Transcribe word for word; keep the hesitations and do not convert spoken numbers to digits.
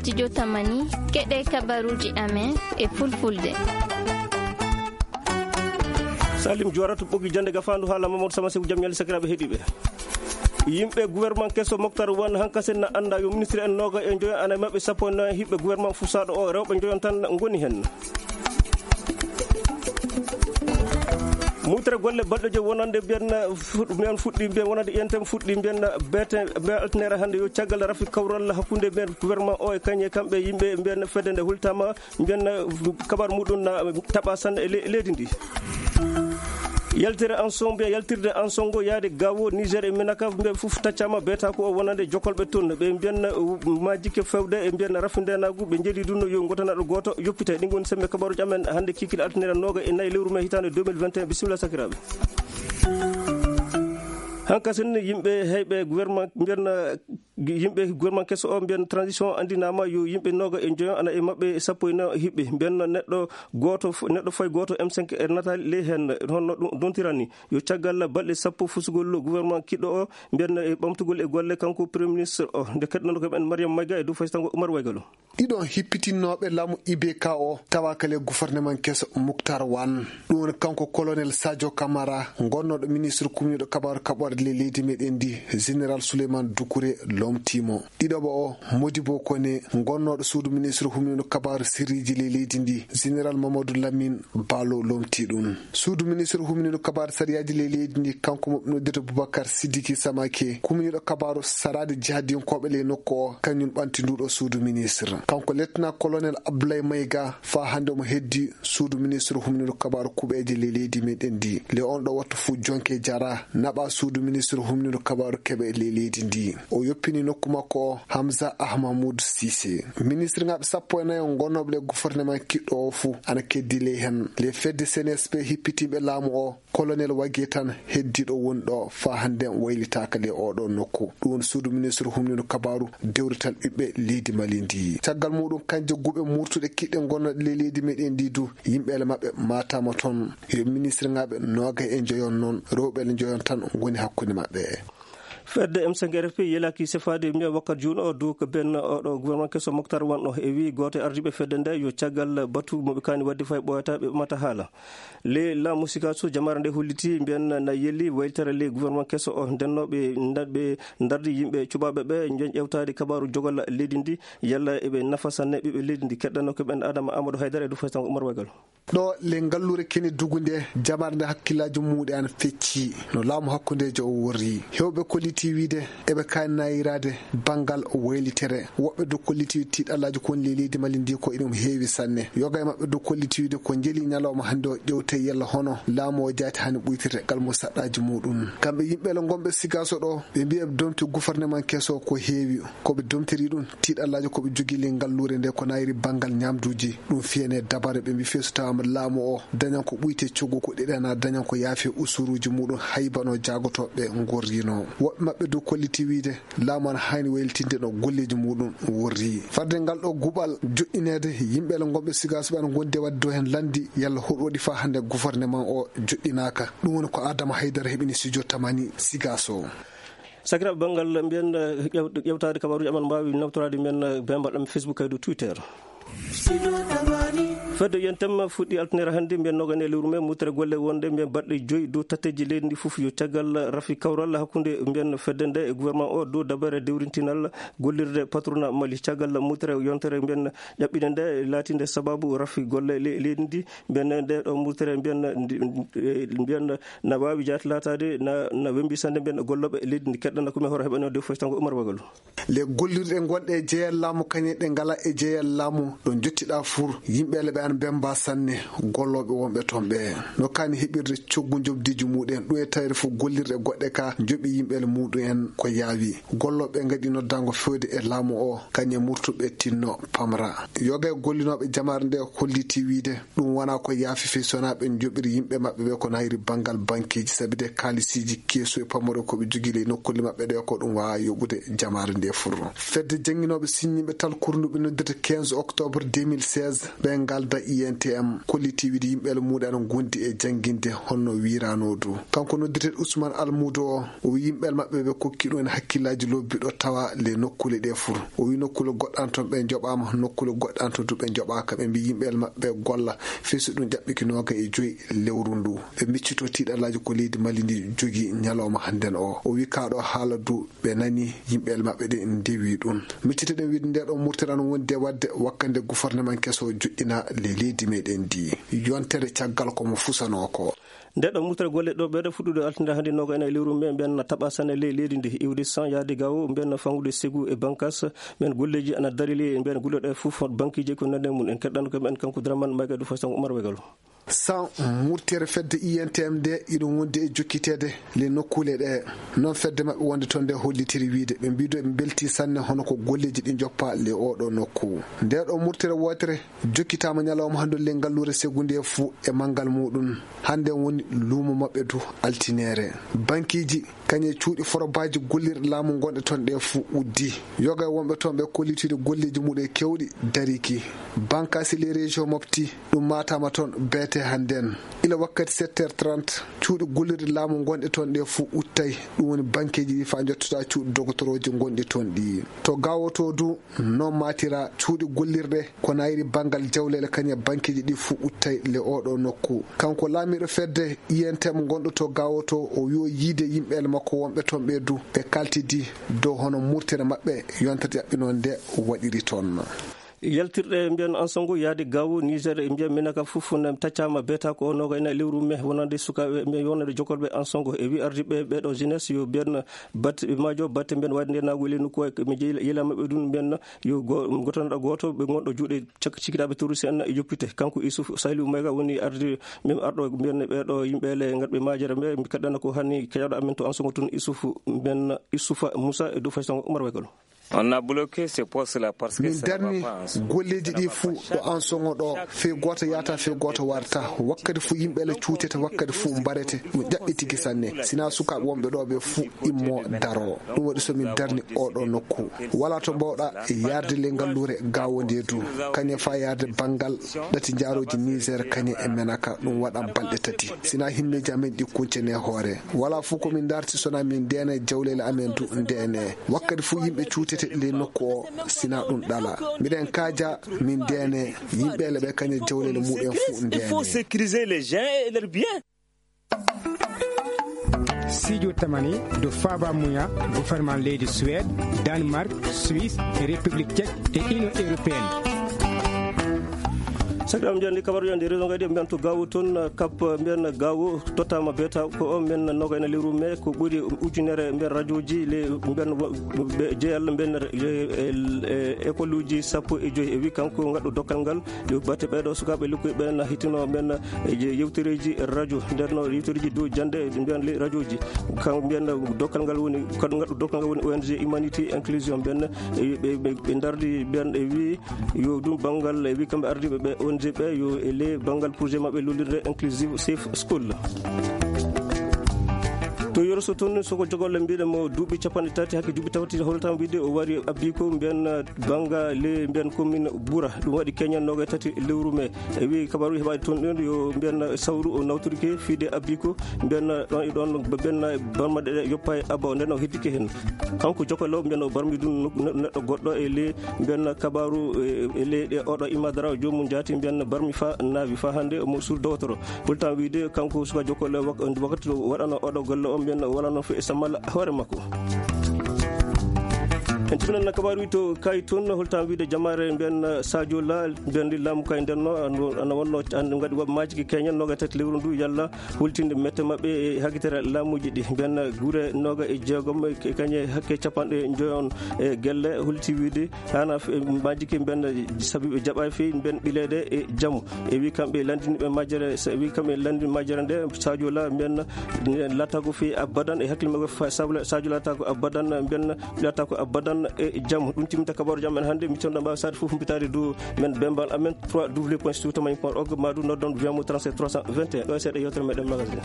Studio Tamani, keɗe kabaruji amen e fulfulde. Salim Joorata ɓogi jannde gafaandu haala Mamadou Sama Seku, jam ñalle sakiraaɓe heɗiiɓe. Yimɓe gouvernement keso Moctar Wan hankasen na annda yo ministre en nooga e njoyo ana e maɓɓe sappo e nayo hiɓɓe gouvernement fusaaɗo o rewɓe njoyon tan ngoni hen. Mutre golle balɗe joyi wonande mbiyen fuɗ-, mbiyen fuɗɗi mbiyen wonande ƴentem fuɗɗi mbiyen beete mbiyen altinere hannde yo caggal rafi kawral hakkunde mbiyen gouvernement o e kañe kamɓe yimɓe mbiyen fedde nde hultama mbiyen kabar muɗum na taɓa sanne e le-, leydi ndi. Yaltere en son mbiyen yaltirde en songo yaade gawo Niger e Minaka mbiyen fof taccama beeta ko o wonande jokolɓe toon ɓe mbiyen majjike fewde e mbiyen rafi ndenagu ɓe jeeɗi ɗum yo gotanaɗo goto yoppite. Ɗin woni sembe kabaruji amen hannde kikil altinere nooga e nayi lewru mai hitande deux mille vingt et un. Bisimilla sakiraaɓe. Hankasen yimɓe heyɓe gouvernement mbiyen yimɓe gouvernement keso o mbiyen transition andinama yo yimɓe nooga e joyo ana e maɓɓe sappo e nayo hiɓɓe mbiyen neɗɗo goto f-, neɗɗo fay goto M cinq e natali ley hen honno ɗum dontirani yo caggal balɗe sappo fusugol gouvernement kiɗɗo o mbiyen e ɓamtugol e golle kanko premier ministre o nde keɗɗono ko men Mariam Mayga e dow faysango Oumar Waygalo. Ɗiɗon hippitinnooɓe laamu I B K o tawaaka le gouvernement keso Muktar Wan. Ɗum woni kanko colonel Sadio Camara, gonnooɗo ministre kumniiɗo kabaaru kaɓorɗe le leydi meɗen ndi, général Souleymane Doucouré lomtiimo. Ɗiɗoɓo o, Modibo Kone, gonnooɗo suudu ministre humniiɗo kabaaru sirriiji le leydi ndi, général Mamadou Lamine Balo lomti ɗum. Suudu ministre humniiɗo kabaaru sariyaaji le leydi ndi, kanko mo ɓe noddirta Boubacar Sidiki Samake, kumniiɗo kabaaru saraade jihadiyankooɓe ley nokku o, kañum ɓanti nduɗo suudu ministre. Kanko lieutenant colonel Abdoulaye Maïga, faa hannde omo heddi suudu ministre humniiɗo kabaaru kuɓeeje ley leydi meɗen ndi. Le on ɗo wattu fuu jonke jara, naɓa suudu ministre humniiɗo kabaaru keɓe ley leydi ndi. O yoppini nokku makko o, Hamza Ahmamoud Cissé. Ministre ŋaaɓe sappo e nayo gonnooɓe le gouvernement kiɗɗo o fuu ana keddi ley hen. Le fedde C N S P hippitiiɓe laamu o, colonel Wage tan heddiiɗo woni ɗo faa hannde waylitaaka le oɗo nokku. Ɗum woni suudu ministre humniiɗo kabaaru dewrital ɓiɓɓe leydi Mali ndi. Caggal muɗum, kanje guɓe murtuɗe kiɗɗe gonnooɗe ley leydi meɗen ndi du, yimɓe ele maɓɓe maataama toon. Yo ministre ŋaaɓe noogay e njoyon noon, rewɓe ele njoyon tan ngoni hakkunde maɓɓe. Fedde M cinq R F P yelaki sefaade mbiya wakkati juun o dow ko ben oɗo gouvernement keso Moctar Wan o e wi gooto e ardiiɓe fedde nde yo caggal batu mo ɓe kaani wadde fay ɓooyata ɓe ɓamata haala. Le laamu Sikaso jamaare nde holliti mbiyan na yeli waylitere le gouvernement keso o ndennooɓe nda-, ɓe ndardi yimɓe cuɓaaɓe ɓe njon ƴewtaade kabaaru jogol leydi ndi yalla eɓe nafa sanne ɓiɓɓe leydi ndi. Keɗɗano ko ɓen Adama Amadou Haydara e Dufay Sango Oumar Waygal. Ɗo le ngalluure kene dugu nde, jamaare nde hakkillaaji muuɗe an fecci no laamu hakkundeejo o worri. Heewɓe kolliti wiide eɓe kaani nayiraade banngal waylitere. Woɓɓe du kolliti tiiɗallaaji kon le leydi Mali ndi ko iɗum heewi sanne. Yoga e maɓɓe du kolliti wiide ko njeli ñalawma hannde o ƴewte yalla hono laamu o jaati hani ɓuytirte ngal mo saɗɗaaji muuɗum. Kamɓe yimɓe le ngonɓe Sigaso ɗo, ɓe mbiya ɓe domti gouvernement keso ko heewi. Ko ɓe domtiri ɗum, tiiɗallaaji ko ɓe jogii ley ngalluure nde ko nayri banngal ñaamduuji. Ɗum fiyane dabare ɓe mbi fii so tawaama laamu o dañan ko ɓuyte coggu ko ɗiɗana dañan ko yaafi usuruuji muuɗum haybano jaagotooɓe ngorrino. Woɓɓe maɓɓe du kolliti wiide laamu ana haani waylitinde no golleeji muuɗum worri. Fadde ngal ɗo guɓal joɗɗineede yimɓe le ngonɓe Sigaso ɓe ana ngondi e waɗde dow heen lanndi yalla hoɗum waɗi faa hannde gouvernement o joɗɗinaaka. Ɗum woni ko Adama Haydara heɓini studio Tamani Sigaso. Sakiraaɓe banngal mbiyen, eh, ƴew-, ƴewtaade kabaaruuji amen mbaawi nawtoraade mbiyen, eh, bembal ɗam Facebook kay dow Twitter. Fedde U N T M fuɗɗi altinere hannde mbiyen noogay e lewru mai mutere golle wonde mbiyen baɗɗe joyi dow tatteeji leydi ndi fof yo caggal rafi kawral hakkunde mbiyen fedde nde e gouvernement o dow dabare dewrintinal gollirde patronat Mali. Caggal mutere yontere mbiyen ƴaɓɓinde nde laatinde sababu rafi golle le-, leydi ndi mbiyen nde ɗo mutere mbiyen ndi, eh, mbiyen na waawi jaati laataade na, na wembi sannde mbiyen gollooɓe leydi ndi. Keɗɗana ko mi hoore heɓano de fof tango Oumar Wagalo. Le gollirɗe gonɗe e jeyal laamu kañe ɗe ngala e jeyal laamu ɗo jottiɗa fur yimɓe le ɓe an bemba sanne gollooɓe wonɓe toon ɓe no kaani heɓirde coggu jobdiiji muɗen ɗum e tawre fof gollirɗe goɗɗe ka joɓi yimɓe le muɗum en ko yaawi. Gollooɓe ngaɗi noddango fewde e laamu o kañe murtuɓe tinno pamra. Yoga e gollinooɓe jamaare nde holliti wiide ɗum wonaa ko yaafi fii so wonaa ɓe njoɓiri yimɓe maɓɓe ɓe ko nayri banngal bankeeji sabi de kaalisiiji keesu e pamaro ko ɓe jogii ley nokkulle maɓɓe ɗe ko ɗum waawaa yoɓude jamaare nde fur. Fedde jannginooɓe siññiiɓe tal kurnuɓe noddirta quinze octobre deux mille seize ɓe ngal I N T M kolliti wiide yimɓeele muuɗum ana ngondi e jannginde honno wiiranoo du. Kanko noddirteeɗo Ousmane Almuudo o, o wiyi yimɓeele maɓɓe ɓe kokki ɗum en hakkillaaji lobbi ɗo tawa le nokkuule ɗe fur. O wiyi nokkuule goɗɗe an toon ɓe njoɓaama, nokkuule goɗɗe an toon du ɓe njoɓaaka. Ɓe mbiyi yimɓeele maɓɓe golla fii so ɗum jaɓɓiki nooga e joyi lewru ndu. Ɓe miccitoo tiiɗallaaji ko leydi Mali ndi jogii ñalawma hannden o. O wiyi kaa ɗo haala du ɓe nani yimɓeele maɓɓe ɗe ndewi ɗum. Miccitoɗen wiide nde ɗo murtere ana wondi e waɗde wakkande guforneman keso joɗɗina le leydi meɗen ndi. Yontere caggal ko mo fusanoo ko. Nde ɗo murtere golle ɗo ɓeɗo fuɗɗude altinde hannde nooga ena e lewru me mbiyen taɓa sane ley leydi ndi iwde san yaade gawo mbiyen fangude segu e bankas. Mbiyen golleji ana dari ley mbiyen golleɗo e fof banqueji ko nande mum en keɗɗano kam en kanko draman mayga du façon Oumar Wegal. San murtere fedde I N T M nde iɗum wondi e jokkiteede le nokkuule ɗe. Noon fedde maɓɓe wonde toon nde hollitiri wiide ɓe mbiido ɓe mbelti sanne hono ko golleji ɗi njoppa le oɗo nokku. Nde ɗo murtere wootere jokkitaama ñalawma hannde le ngalluure segu nde fuu e manngal muɗum. Hannde woni luumo maɓɓe du altinere. Bankiiji kañe cuuɗi forobaaji gollirɗe laamu ngonɗe toon ɗe fuu uddi. Yoga e wonɓe toon ɓe kollitiiɗo golleeji muɗum e kewɗi dariki. Bankaasi les régions mofti ɗum maataama toon beete hannden. Ila wakkati sept heures trente cuuɗi gollirɗe laamu ngonɗe toon ɗe fuu uttay. Ɗum woni bankeeji ɗi faa njottota cuuɗi dogotorooji ngonɗi toon ɗi. To gawoto du noon maatira cuuɗi gollirɗe ko nayri banngal jawleele kañe bankeeji ɗi fuu uttay le oɗo nokku. Kanko laamiiɗo fedde I N T M ngonɗo to gawoto o wiyo yiide yimɓeele makko wonɓe toon ɓe du ɓe kaltidi dow hono murtere maɓɓe yontere ɗaɓɓinoo nde waɗiri toon. Yaltirɗe mbiyen ansango yaade gawo Niger e mbiyen minaka fof ne taccama beeta ko noga ena lewru me wonande sukaɓe me wonande jokolɓe ansango e wi ardiɓe ɓeɗo jeunesse yo mbiyen batte ɓe majo batte mbiyen wadde nde nago le nokku mi jeyi yela maɓɓe ɗum mbiyen yo gotonoɗo goto ɓe gonɗo juuɗe cak cikiraɓe terroriste en e yoppite kanko Issouf Saliou Mayga woni ardi min arɗo mbiyen ɓeɗo yimɓe le ngatɓe majere mbe mi kaɗɗana ko hanni keɗaɗo amen to ansango tun Issouf mbiyen Issouf Moussa e dow fay sango Oumar Waygol. On a bloqué ces postes-là parce que min darni golleeji ɗi fuu ɗo ansoŋo ɗo fii gooto yahata fii gooto warta wakkati fuu yimɓe le cuutete wakkati fuu mbarete ɗum ƴaɓɓitiki sanne sinaa sukaaɓe wonɓe ɗo ɓe fuu immo daro ɗum waɗi so min darni oɗo nokku walaa to mbawɗa yarde le ngalluure gawo nde du kañe faa yarde banngal ɗati njaarooji Niger kañe e menaka ɗum waɗa balɗe tati sinaa himmeeji amen ɗi kuncene hoore walaa fuu ko min darti sonaa min ndeene jawleele amen du ndeene wakkati fuu yimɓe cuutete ley nokku o sinaa ɗum ɗala miɗen kaaja min ndeene yimɓe le ɓe kañe jawleele muɗen fuu ndeene. Sijo tamani do faba muya gouvernement leydi Suède, Danemark, Suisse e République Tchèque e Union Européenne. Sakiraɓe mbiyan ni kabaru yande réseau ngadi mbiyan to gawo toon kap mbiyan gawo tottama beta ko o mbiyan noga ena lewru me ko ɓuri ujunere mbiyan radioji le mbiyan jeyal mbiyan école uji sappo e joyi e wi kanko gaɗɗo dokkal ngal yo batte ɓeɗo sukaɓe lukkuɓe ɓe na hitino mbiyan yewtereji radio ndenno yewtereji dow jande mbiyan le radioji kanko mbiyan dokkal ngal woni kadi gaɗɗo dokkal ngal woni O N G humanité inclusion mbiyan ɓe dardi mbiyan e wi yo ɗum banngal e wi kamɓe ardiiɓe ɓe O N G ɓe yo e ley banngal projet maɓɓe lollirde inclusive safe school. To yoroso toon soko jogolle mbiɗen mo duuɓi capanɗe tati hakke duuɓi tawti holtam wiide o wari abbi ko mbiyan bannga le mbiyan commune Boura ɗum waɗi keñan noga tati lewru me e wi kabaru heɓaade toon ɗon yo mbiyan sawru o nawtorike fiide abbi ko mbiyan ɗon e ɗon mbiyan barmaɗe ɗe yoppa e abba o nden o heddike heen kanko jokolle o mbiyan o barmi ɗum neɗɗo goɗɗo e le mbiyan kabaru e leyɗe oɗo imadara o joomum jaati mbiyan barmi fa naawi fa hannde omo suur dowtoro holtan wiide kanko suka jokolle wakkati waɗano oɗo golle o mbiyan wala noon fo e sammal hoore makko. En timinanna kabaru wi to kay toon holtan wiide jamaare mbiyan sadio la mbiyan laamu kay ndenno ana wonno gaɗi woɓɓe majiki keñen noga tati lewru ndu yalla hultinde mette maɓɓe e hagitere laamuji ɗi mbiyan gure noga e jeegom kañe hakke capanɗe joyon e gelle hulti wiide hana majiki mbiyan sabiɓe jaɓa fewi mbiyan ɓileɗe e jamu e wi kamɓe landiniɓe majjere wi kamɓe landini majjere nde sadio la mbiyan latta ko fewi abadan e hakkille makko sabla sadio latta ko abadan mbiyan latta ko abadan e jamu ɗum timminta kabaru jam en hannde mi tonɗo mbawi sade fof mbitade dow men bembal amen trois w point siwtamani point org ma ɗum noddon wiyamo trente-sept trois cent vingt et un ɗo e seeɗa yewtere meɗen magasin.